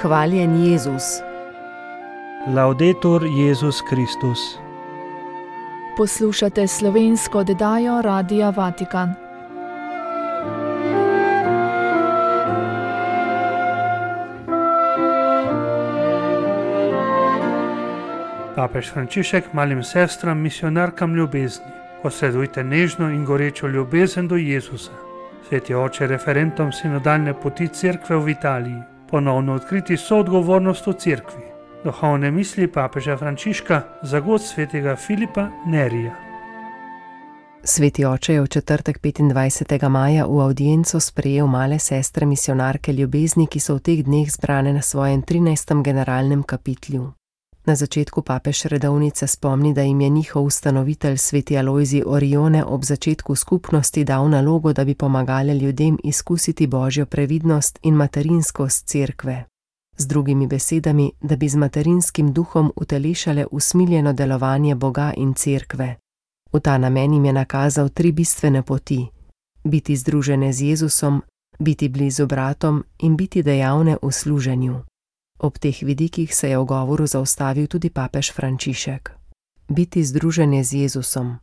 Hvaljen Jezus. Laudetur Jezus Kristus. Poslušate slovensko oddajo Radia Vatikan. Papež Frančišek malim sestram, misionarkam ljubezni: posredujte nežno in gorečo ljubezen do Jezusa. Sveti oče referentom sinodalne poti Cerkve v Italiji ponovno odkriti soodgovornost v Cerkvi. Duhovne misli papeža Frančiška za god svetega Filipa Nerija. Sveti oče je v četrtek 25. maja v avdienco sprejel male sestre misionarke ljubezni, ki so v teh dneh zbrane na svojem 13. generalnem kapitlju. Na začetku papež redovnice spomni, da jim je njihov ustanovitelj sveti Alojzij Orione ob začetku skupnosti dal nalogo, da bi pomagale ljudem izkusiti božjo previdnost in materinskost Cerkve. Z drugimi besedami, da bi z materinskim duhom utelešale usmiljeno delovanje Boga in Cerkve. V ta namen jim je nakazal 3 bistvene poti: biti združene z Jezusom, biti blizu bratom in biti dejavne v služenju. Ob teh vidikih se je v govoru zaustavil tudi papež Frančišek. Biti združene z Jezusom.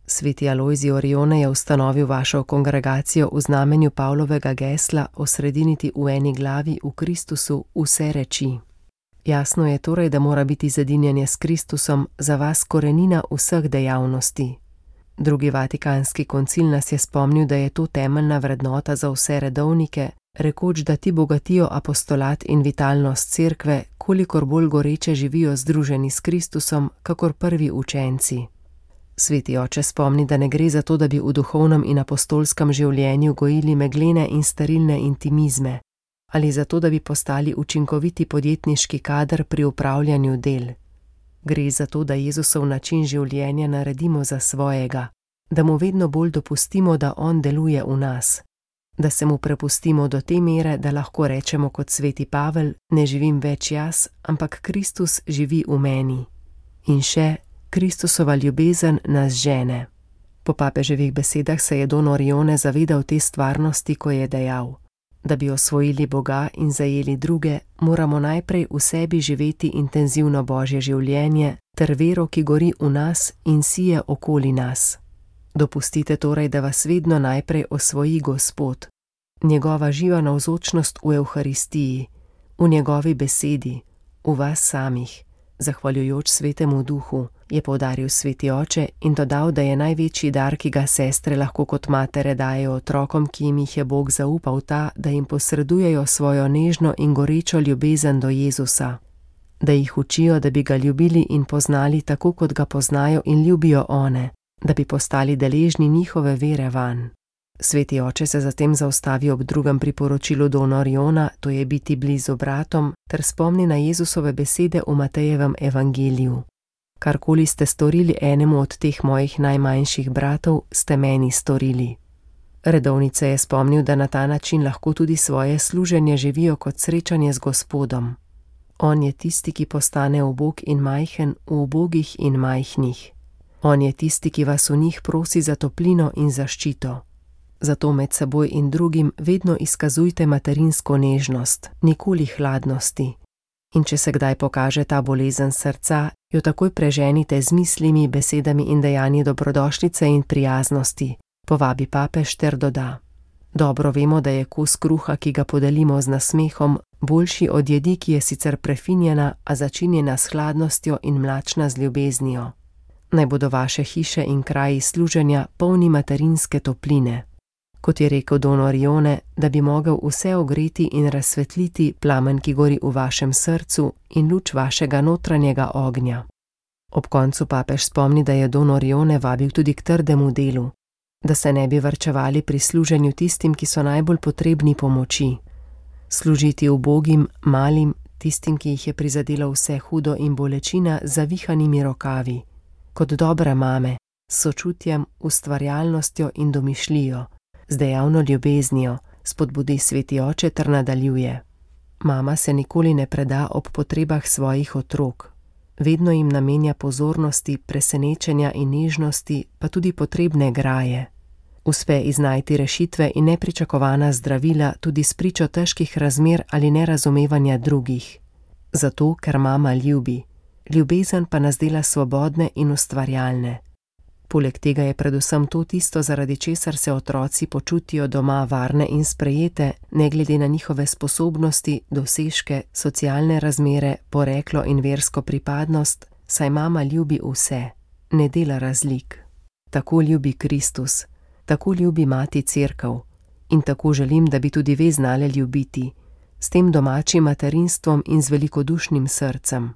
Sveti Alojzij Orione je ustanovil vašo kongregacijo v znamenju Pavlovega gesla osrediniti v eni glavi v Kristusu vse reči. Jasno je torej, da mora biti zedinjenje s Kristusom za vas korenina vseh dejavnosti. Drugi vatikanski koncil nas je spomnil, da je to temeljna vrednota za vse redovnike, rekoč, da ti bogatijo apostolat in vitalnost Cerkve, kolikor bolj goreče živijo združeni s Kristusom, kakor prvi učenci. Sveti oče spomni, da ne gre za to, da bi v duhovnem in apostolskem življenju gojili meglene in sterilne intimizme, ali za to, da bi postali učinkoviti podjetniški kader pri upravljanju del. Gre za to, da Jezusov način življenja naredimo za svojega, da mu vedno bolj dopustimo, da on deluje v nas, da se mu prepustimo do te mere, da lahko rečemo kot sveti Pavel: ne živim več jaz, ampak Kristus živi v meni. In še: Kristusova ljubezen nas žene. Po papeževih besedah se je don Orione zavedal te stvarnosti, ko je dejal: da bi osvojili Boga in zajeli druge, moramo najprej v sebi živeti intenzivno božje življenje ter vero, ki gori v nas in sije okoli nas. Dopustite torej, da vas vedno najprej osvoji Gospod, njegova živa navzočnost v Evharistiji, v njegovi besedi, v vas samih, zahvaljujoč svetemu duhu, je poudaril sveti oče in dodal, da je največji dar, ki ga sestre lahko kot matere dajejo otrokom, ki jim jih je Bog zaupal, ta, da jim posredujejo svojo nežno in gorečo ljubezen do Jezusa, da jih učijo, da bi ga ljubili in poznali tako, kot ga poznajo in ljubijo one, da bi postali deležni njihove vere vanj. Sveti oče se zatem zaustavi ob drugem priporočilu dona Oriona, to je biti blizu bratom, ter spomni na Jezusove besede v Matejevem evangeliju: karkoli ste storili enemu od teh mojih najmanjših bratov, ste meni storili. Redovnice je spomnil, da na ta način lahko tudi svoje služenje živijo kot srečanje z Gospodom. On je tisti, ki postane ubog in majhen v ubogih in majhnih. On je tisti, ki vas v njih prosi za toplino in zaščito. Zato med seboj in drugim vedno izkazujte materinsko nežnost, nikoli hladnosti. In če se kdaj pokaže ta bolezen srca, jo takoj preženite z mislimi, besedami in dejanji dobrodošlice in prijaznosti, povabi papež ter doda: dobro vemo, da je kos kruha, ki ga podelimo z nasmehom, boljši od jedi, ki je sicer prefinjena, a začinjena s hladnostjo in mlačna z ljubeznijo. Naj bodo vaše hiše in kraji služenja polni materinske topline. Kot je rekel don Orione, da bi mogel vse ogreti in razsvetliti plamen, ki gori v vašem srcu, in luč vašega notranjega ognja. Ob koncu papež spomni, da je don Orione vabil tudi k trdemu delu, da se ne bi varčevali pri služenju tistim, ki so najbolj potrebni pomoči. Služiti ubogim, malim, tistim, ki jih je prizadelo vse hudo in bolečina, z zavihanimi rokavi, kot dobre mame, s sočutjem, ustvarjalnostjo in domišljijo, z dejavno ljubeznijo, spodbudi sveti oče ter nadaljuje: mama se nikoli ne preda ob potrebah svojih otrok. Vedno jim namenja pozornosti, presenečenja in nežnosti, pa tudi potrebne graje. Uspe iznajti rešitve in nepričakovana zdravila tudi s pričo težkih razmer ali nerazumevanja drugih. Zato, ker mama ljubi. Ljubezen pa nas dela svobodne in ustvarjalne. Poleg tega je predvsem to tisto, zaradi česar se otroci počutijo doma varne in sprejete, ne glede na njihove sposobnosti, dosežke, socialne razmere, poreklo in versko pripadnost, saj mama ljubi vse, ne dela razlik. Tako ljubi Kristus, tako ljubi Mati Cerkev in tako želim, da bi tudi ve znale ljubiti, s tem domačim materinstvom in z velikodušnim srcem.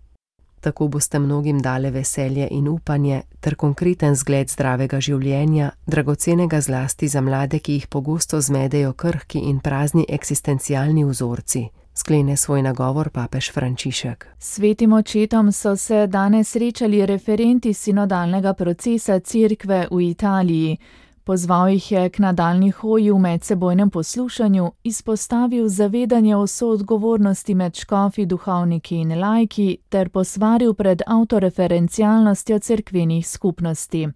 Tako boste mnogim dale veselje in upanje ter konkreten zgled zdravega življenja, dragocenega zlasti za mlade, ki jih pogosto zmedejo krhki in prazni eksistencialni vzorci, sklene svoj nagovor papež Frančišek. Svetim očetom so se danes srečali referenti sinodalnega procesa Cerkve v Italiji. Pozval jih je k nadaljnji hoji v medsebojnem poslušanju, izpostavil zavedanje o soodgovornosti med škofi, duhovniki in laiki ter posvaril pred avtoreferencialnostjo cerkvenih skupnosti.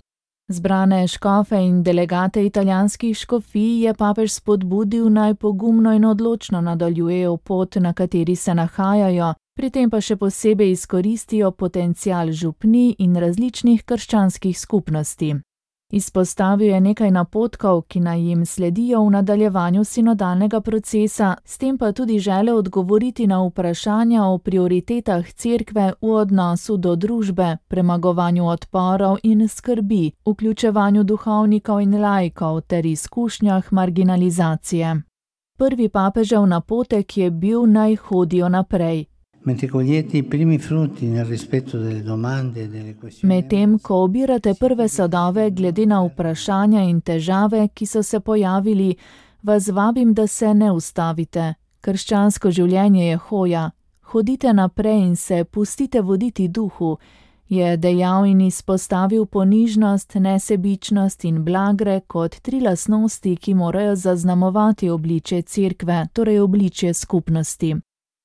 Zbrane škofe in delegate italijanskih škofij je papež spodbudil, naj pogumno in odločno nadaljujejo pot, na kateri se nahajajo, pri tem pa še posebej izkoristijo potencial župnij in različnih krščanskih skupnosti. Izpostavil je nekaj napotkov, ki naj jim sledijo v nadaljevanju sinodalnega procesa, s tem pa tudi želel odgovoriti na vprašanja o prioritetah Cerkve v odnosu do družbe, premagovanju odporov in skrbi, vključevanju duhovnikov in laikov ter izkušnjah marginalizacije. Prvi papežev napotek je bil, naj hodijo naprej. Medtem, ko obirate prve sadove glede na vprašanja in težave, ki so se pojavili, vas vabim, da se ne ustavite. Krščansko življenje je hoja. Hodite naprej in se pustite voditi duhu, je dejal in izpostavil ponižnost, nesebičnost in blagre kot 3 lastnosti, ki morajo zaznamovati obličje Cerkve, torej obličje skupnosti.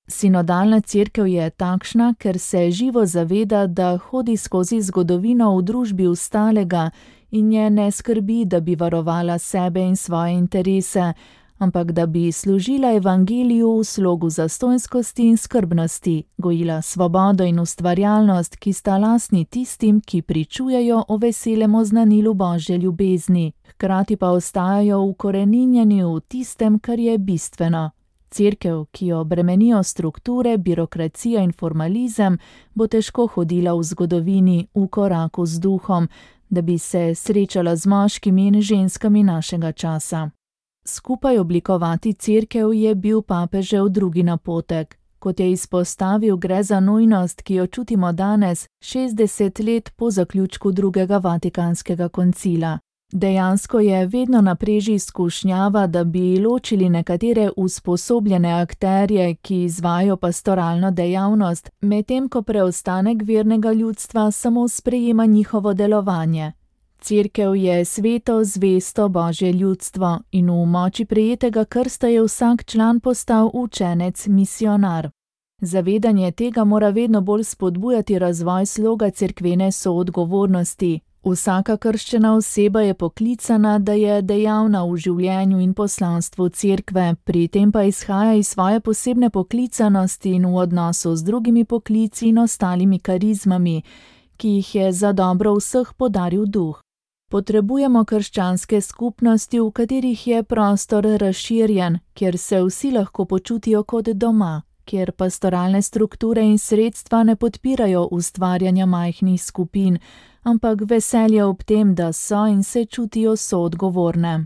Sinodalna cerkev je takšna, ker se živo zaveda, da hodi skozi zgodovino v družbi ostalega in je ne skrbi, da bi varovala sebe in svoje interese, ampak da bi služila evangeliju v slogu zastonjskosti in skrbnosti, gojila svobodo in ustvarjalnost, ki sta lastni tistim, ki pričujejo o veselem oznanilu Božje ljubezni, hkrati pa ostajajo ukoreninjeni v tistem, kar je bistveno. Cerkev, ki jo bremenijo strukture, birokracija in formalizem, bo težko hodila v zgodovini v koraku z duhom, da bi se srečala z moškimi in ženskami našega časa. Skupaj oblikovati cerkev je bil papežev drugi napotek. Kot je izpostavil, gre za nujnost, ki jo čutimo danes, 60 let po zaključku drugega Vatikanskega koncila. Dejansko je vedno na preži skušnjava, da bi ločili nekatere usposobljene akterje, ki izvajajo pastoralno dejavnost, medtem ko preostanek vernega ljudstva samo sprejema njihovo delovanje. Cerkev je sveto, zvesto Božje ljudstvo in v moči prejetega krsta je vsak član postal učenec, misionar. Zavedanje tega mora vedno bolj spodbujati razvoj sloga cerkvene soodgovornosti. Vsaka krščena oseba je poklicana, da je dejavna v življenju in poslanstvu cerkve, pri tem pa izhaja iz svoje posebne poklicanosti in v odnosu z drugimi poklici in ostalimi karizmami, ki jih je za dobro vseh podaril duh. Potrebujemo krščanske skupnosti, v katerih je prostor razširjen, kjer se vsi lahko počutijo kot doma, kjer pastoralne strukture in sredstva ne podpirajo ustvarjanja majhnih skupin, ampak veselje ob tem, da so in se čutijo soodgovorne.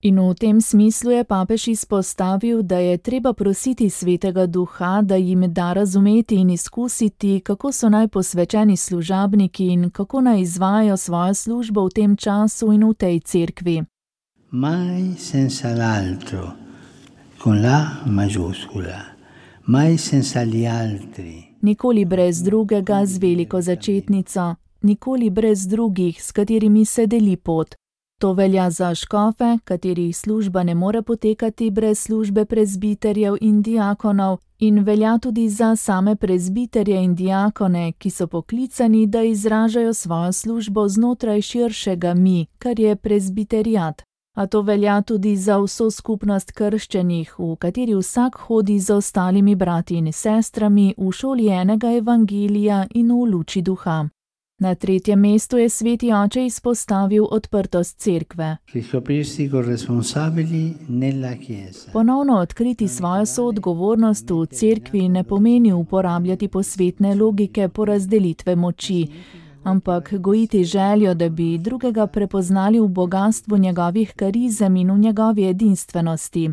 In v tem smislu je papež izpostavil, da je treba prositi Svetega Duha, da jim da razumeti in izkusiti, kako so naj posvečeni služabniki in kako naj izvajajo svojo službo v tem času in v tej cerkvi. Mai senza l'altro, con la majuscula, mai senza gli altri. Nikoli brez drugega z veliko začetnico, nikoli brez drugih, s katerimi se deli pot. To velja za škofe, katerih služba ne more potekati brez službe prezbiterjev in diakonov, in velja tudi za same prezbiterje in diakone, ki so poklicani, da izražajo svojo službo znotraj širšega mi, kar je prezbiteriat. A to velja tudi za vso skupnost krščenih, v kateri vsak hodi z ostalimi brati in sestrami v šoli enega evangelija in v luči duha. Na 3. mestu je sveti oče izpostavil odprtost cerkve. Ponovno odkriti svojo soodgovornost v cerkvi ne pomeni uporabljati posvetne logike porazdelitve moči, ampak gojiti željo, da bi drugega prepoznali v bogastvu njegovih karizem in v njegovi edinstvenosti.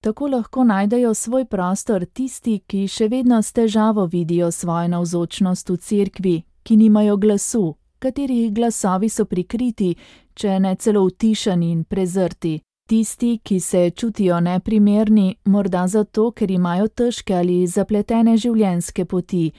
Tako lahko najdejo svoj prostor tisti, ki še vedno s težavo vidijo svojo navzočnost v cerkvi, ki nimajo glasu, katerih glasovi so prikriti, če ne celo utišani in prezrti. Tisti, ki se čutijo neprimerni, morda zato, ker imajo težke ali zapletene življenjske poti.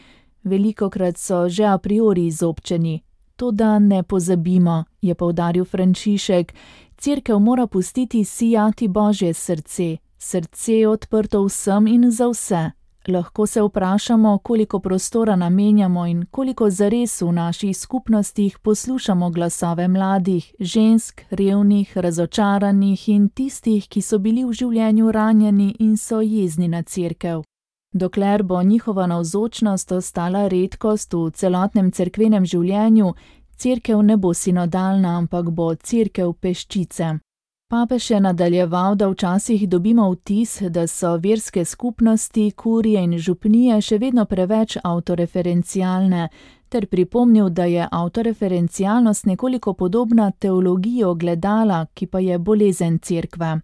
Velikokrat so že a priori izobčeni. Toda ne pozabimo, je poudaril Frančišek, cerkev mora pustiti sijati Božje srce, srce odprto vsem in za vse. Lahko se vprašamo, koliko prostora namenjamo in koliko zares v naših skupnostih poslušamo glasove mladih, žensk, revnih, razočaranih in tistih, ki so bili v življenju ranjeni in so jezni na cerkev. Dokler bo njihova navzočnost ostala redkost v celotnem cerkvenem življenju, cerkev ne bo sinodalna, ampak bo cerkev peščice. Papež je nadaljeval, da včasih dobimo vtis, da so verske skupnosti, kurije in župnije še vedno preveč avtoreferencialne, ter pripomnil, da je avtoreferencialnost nekoliko podobna teologiji ogledala, ki pa je bolezen cerkve.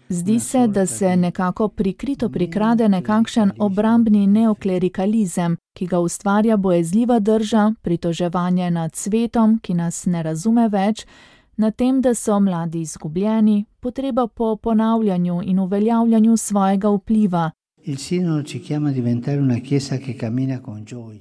Zdi se, da se nekako prikrito prikrade nekakšen obrambni neoklerikalizem, ki ga ustvarja bojezljiva drža, pritoževanje nad svetom, ki nas ne razume več, nad tem, da so mladi izgubljeni, potreba po ponavljanju in uveljavljanju svojega vpliva.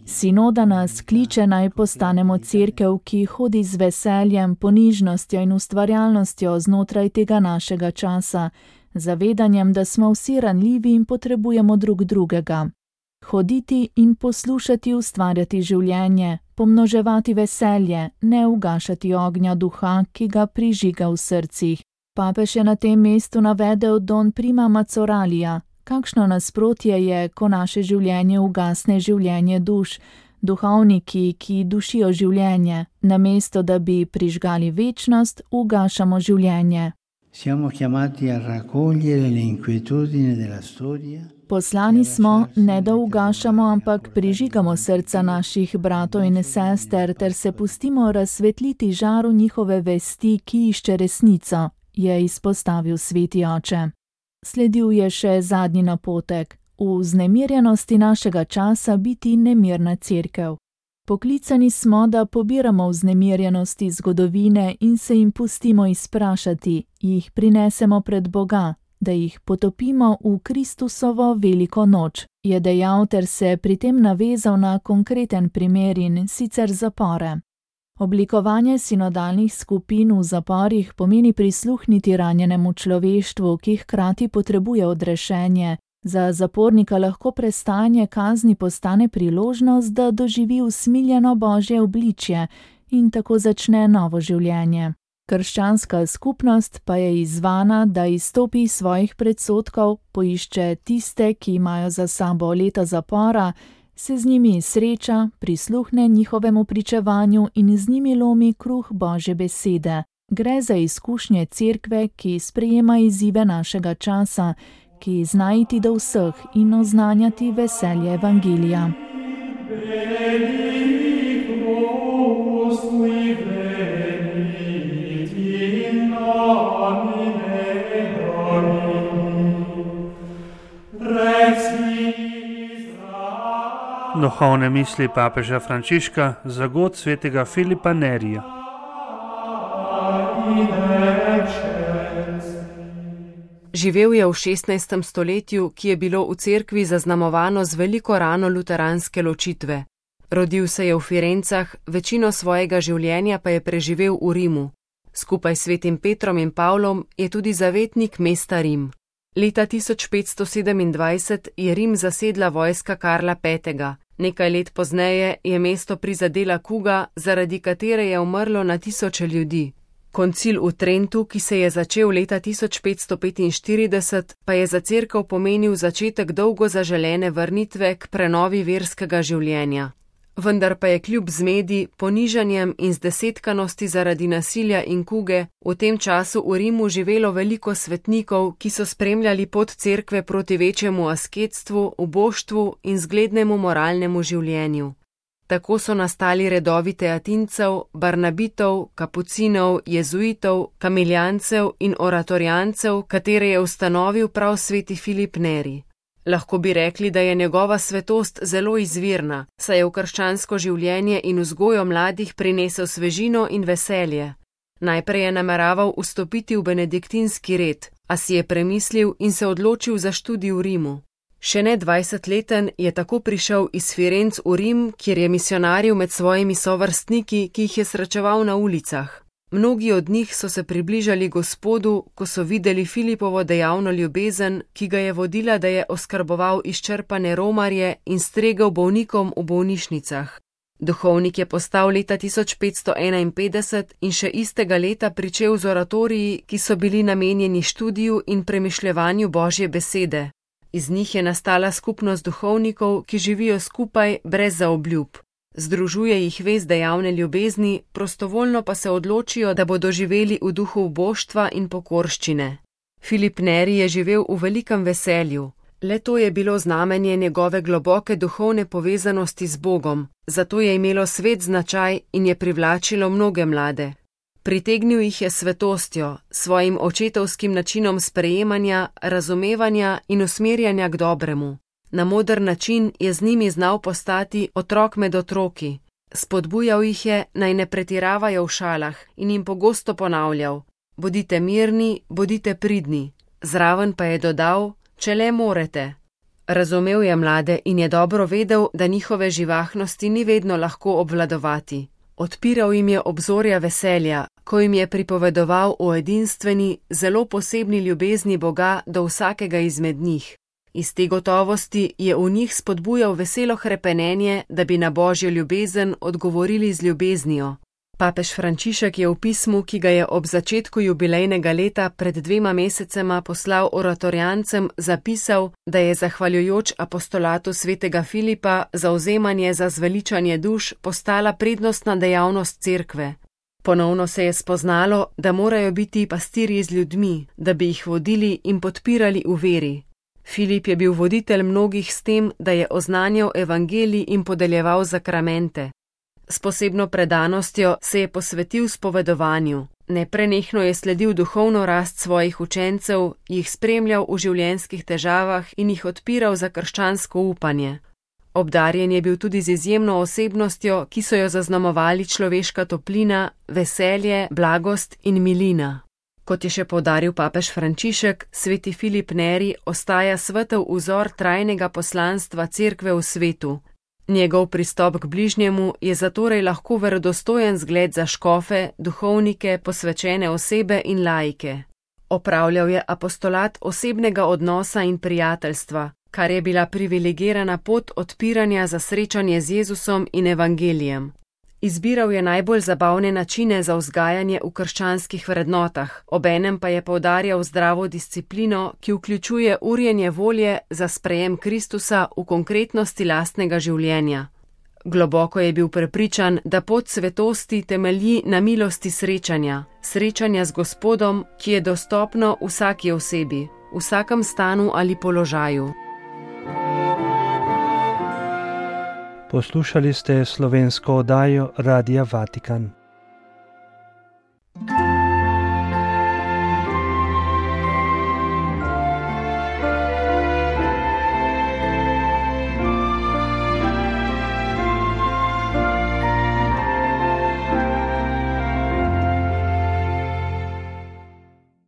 Sinoda nas kliče naj postanemo cerkev, ki hodi z veseljem, ponižnostjo in ustvarjalnostjo znotraj tega našega časa, zavedanjem, da smo vsi ranljivi in potrebujemo drug drugega. Hoditi in poslušati ustvarjati življenje, pomnoževati veselje, ne ugašati ognja duha, ki ga prižiga v srcih. Papež je na tem mestu navedel Don Prima Mazoralija. Kakšno nasprotje je, ko naše življenje ugasne življenje duš, duhovniki, ki dušijo življenje, namesto da bi prižgali večnost, ugašamo življenje. Poslani smo, ne da ugašamo, ampak prižigamo srca naših bratov in sester ter se pustimo razsvetliti žaru njihove vesti, ki išče resnico, je izpostavil sveti oče. Sledil je še zadnji napotek, v vznemirjenosti našega časa biti nemirna cerkev. Poklicani smo, da pobiramo vznemirjenosti zgodovine in se jim pustimo izprašati, jih prinesemo pred Boga, da jih potopimo v Kristusovo veliko noč, je dejal ter se pri tem navezal na konkreten primer in sicer zapore. Oblikovanje sinodalnih skupin v zaporih pomeni prisluhniti ranjenemu človeštvu, ki hkrati potrebuje odrešenje. Za zapornika lahko prestajanje kazni postane priložnost, da doživi usmiljeno Božje obličje in tako začne novo življenje. Krščanska skupnost pa je izzvana, da izstopi iz svojih predsodkov, poišče tiste, ki imajo za sabo leta zapora, se z njimi sreča, prisluhne njihovemu pričevanju in z njimi lomi kruh Božje besede. Gre za izkušnje cerkve, ki sprejema izzive našega časa, ki zna iti do vseh in oznanjati veselje evangelija. Duhovne misli papeža Frančiška za god svetega Filipa Nerija. Živel je v 16. stoletju, ki je bilo v cerkvi zaznamovano z veliko rano luteranske ločitve. Rodil se je v Firencah, večino svojega življenja pa je preživel v Rimu. Skupaj s svetim Petrom in Pavlom je tudi zavetnik mesta Rim. Leta 1527 je Rim zasedla vojska Karla V. Nekaj let pozneje je mesto prizadela kuga, zaradi katere je umrlo na tisoče ljudi. Koncil v Trentu, ki se je začel leta 1545, pa je za cerkev pomenil začetek dolgo zaželene vrnitve k prenovi verskega življenja. Vendar pa je kljub zmedi, ponižanjem in zdesetkanosti zaradi nasilja in kuge v tem času v Rimu živelo veliko svetnikov, ki so spremljali pot cerkve proti večjemu asketstvu, uboštvu in zglednemu moralnemu življenju. Tako so nastali redovi teatincev, barnabitov, kapucinov, jezuitov, kamiljancev in oratorijancev, katere je ustanovil prav sveti Filip Neri. Lahko bi rekli, da je njegova svetost zelo izvirna, saj je v krščansko življenje in vzgojo mladih prinesel svežino in veselje. Najprej je nameraval vstopiti v benediktinski red, a si je premislil in se odločil za študij v Rimu. Še ne 20-leten je tako prišel iz Firenc v Rim, kjer je misionaril med svojimi sovrstniki, ki jih je srečeval na ulicah. Mnogi od njih so se približali Gospodu, ko so videli Filipovo dejavno ljubezen, ki ga je vodila, da je oskrboval izčrpane romarje in stregel bolnikom v bolnišnicah. Duhovnik je postal leta 1551 in še istega leta pričel z oratoriji, ki so bili namenjeni študiju in premišljevanju Božje besede. Iz njih je nastala skupnost duhovnikov, ki živijo skupaj brez zaobljub. Združuje jih vez dejavne ljubezni, prostovoljno pa se odločijo, da bodo živeli v duhu uboštva in pokorščine. Filip Neri je živel v velikem veselju. Le to je bilo znamenje njegove globoke duhovne povezanosti z Bogom, zato je imelo svet značaj in je privlačilo mnoge mlade. Pritegnil jih je svetostjo, svojim očetovskim načinom sprejemanja, razumevanja in usmerjanja k dobremu. Na moder način je z njimi znal postati otrok med otroki. Spodbujal jih je, naj ne pretiravajo v šalah in jim pogosto ponavljal: bodite mirni, bodite pridni. Zraven pa je dodal: če le morete. Razumel je mlade in je dobro vedel, da njihove živahnosti ni vedno lahko obvladovati. Odpiral jim je obzorja veselja, ko jim je pripovedoval o edinstveni, zelo posebni ljubezni Boga do vsakega izmed njih. Iz te gotovosti je v njih spodbujal veselo hrepenenje, da bi na Božjo ljubezen odgovorili z ljubeznijo. Papež Frančišek je v pismu, ki ga je ob začetku jubilejnega leta pred 2 mesecema poslal oratorijancem, zapisal, da je zahvaljujoč apostolatu svetega Filipa zavzemanje za zveličanje duš postala prednostna dejavnost cerkve. Ponovno se je spoznalo, da morajo biti pastirji z ljudmi, da bi jih vodili in podpirali v veri. Filip je bil voditelj mnogih s tem, da je oznanjal evangelij in podeljeval zakramente. S posebno predanostjo se je posvetil spovedovanju. Neprenehno je sledil duhovno rast svojih učencev, jih spremljal v življenjskih težavah in jih odpiral za krščansko upanje. Obdarjen je bil tudi z izjemno osebnostjo, ki so jo zaznamovali človeška toplina, veselje, blagost in milina. Kot je še poudaril papež Frančišek, sveti Filip Neri ostaja svetel vzor trajnega poslanstva cerkve v svetu. Njegov pristop k bližnjemu je zatorej lahko verodostojen zgled za škofe, duhovnike, posvečene osebe in laike. Opravljal je apostolat osebnega odnosa in prijateljstva, kar je bila privilegirana pot odpiranja za srečanje z Jezusom in evangelijem. Izbiral je najbolj zabavne načine za vzgajanje v krščanskih vrednotah, obenem pa je poudarjal zdravo disciplino, ki vključuje urjenje volje za sprejem Kristusa v konkretnosti lastnega življenja. Globoko je bil prepričan, da pot svetosti temelji na milosti srečanja z Gospodom, ki je dostopno vsaki osebi, v vsakem stanu ali položaju. Poslušali ste slovensko oddajo Radia Vatikan.